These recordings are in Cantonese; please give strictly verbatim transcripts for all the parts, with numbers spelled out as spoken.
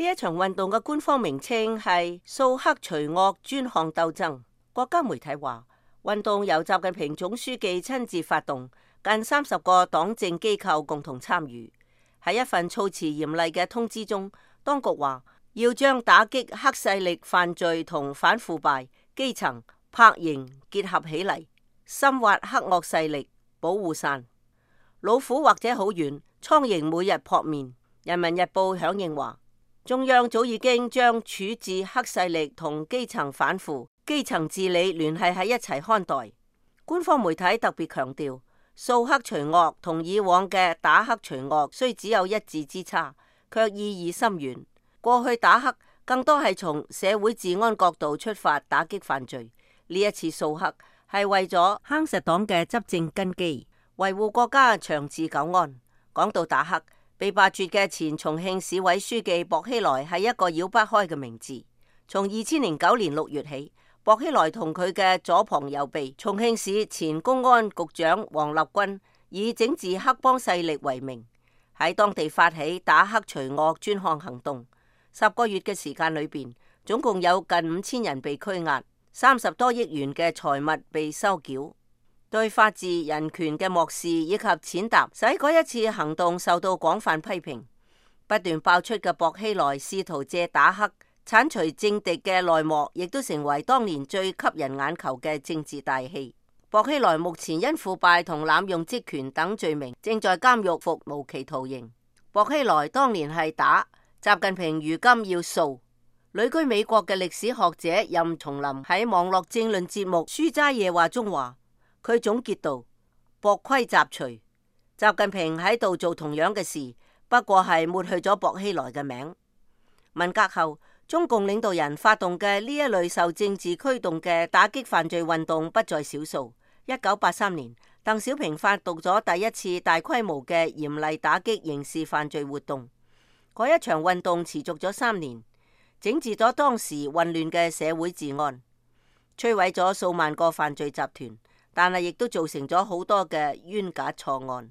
呢一場運動嘅官方名稱係掃黑除惡專項鬥爭。國家媒體話，運動由習近平總書記親自發動，近三十個黨政機構共同參與。喺一份措辭嚴厲嘅通知中，當局話要將打擊黑勢力犯罪同反腐敗、基層拍營結合起嚟，深挖黑惡勢力，保護傘。老虎或者好遠，蒼蠅每日撲面。人民日報響應話，中央早已經將處置黑勢力同基層反腐、基層治理聯繫喺一齊看待。官方媒體特別強調，掃黑除惡同以往嘅打黑除惡雖只有一字之差，卻意義深遠。過去打黑更多係從社會治安角度出發打擊犯罪，呢一次掃黑係為咗夯實黨嘅執政根基，維護國家長治久安。講到打黑，被罷黜嘅前重慶市委書記薄熙來係一個繞不開嘅名字。從二千零九年六月起，薄熙來同佢嘅左膀右臂重慶市前公安局長王立軍以整治黑幫勢力為名，喺當地發起打黑除惡專項行動。十個月嘅時間裏邊，總共有近五千人被拘押，三十多億元嘅財物被收繳。對法治人權嘅漠視以及踐踏，使嗰一次行動受到廣泛批評。不斷爆出嘅薄熙來試圖借打黑剷除政敵嘅內幕，亦都成為當年最吸人眼球嘅政治大戲。薄熙來目前因腐敗同濫用職權等罪名，正在監獄服無期徒刑。薄熙來當年係打，習近平如今要掃。旅居美國嘅歷史學者任松林喺網絡政論節目《書齋夜話》中話，佢總結道：薄規雜除，習近平喺度做同樣嘅事，不過係抹去咗薄熙來嘅名。文革後，中共領導人發動嘅呢一類受政治驅動嘅打擊犯罪運動不在少數。一九八三年，鄧小平發動咗第一次大規模嘅嚴厲打擊刑事犯罪活動。嗰一場運動持續咗三年，整治咗當時混亂嘅社會治安，摧毀咗數萬個犯罪集團。但係亦都造成咗好多嘅冤假錯案。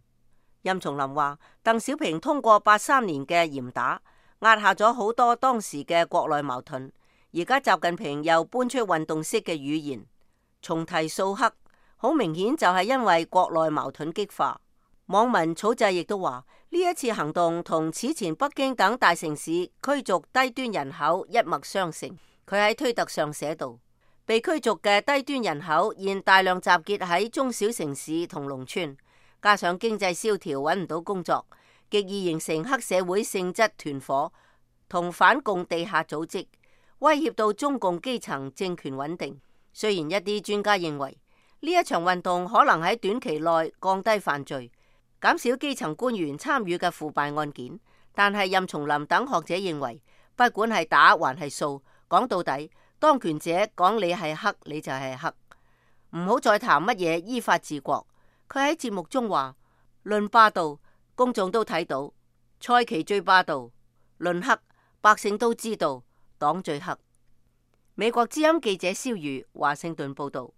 任松林話，鄧小平通過八三年嘅嚴打，壓下咗好多當時嘅國內矛盾。而家習近平又搬出運動式嘅語言，重提掃黑，好明顯就係因為國內矛盾激化。網民草製亦都話，呢一次行動同此前北京等大城市驅逐低端人口一脈相承。佢喺推特上寫道，被驅逐嘅低端人口現大量集結喺中小城市同農村，加上經濟蕭條揾唔到工作，極易形成黑社會性質團伙同反共地下組織，威脅到中共基層政權穩定。雖然一啲專家認為呢一場運動可能喺短期內降低犯罪，減少基層官員參與嘅腐敗案件，但係任松林等學者認為，不管係打還係掃，講到底，當權者講你係黑，你就係黑，唔好再談乜嘢依法治國。佢喺節目中話，論霸道，公眾都睇到，蔡奇最霸道；論黑，百姓都知道，黨最黑。美國之音記者蕭瑜華盛頓報道。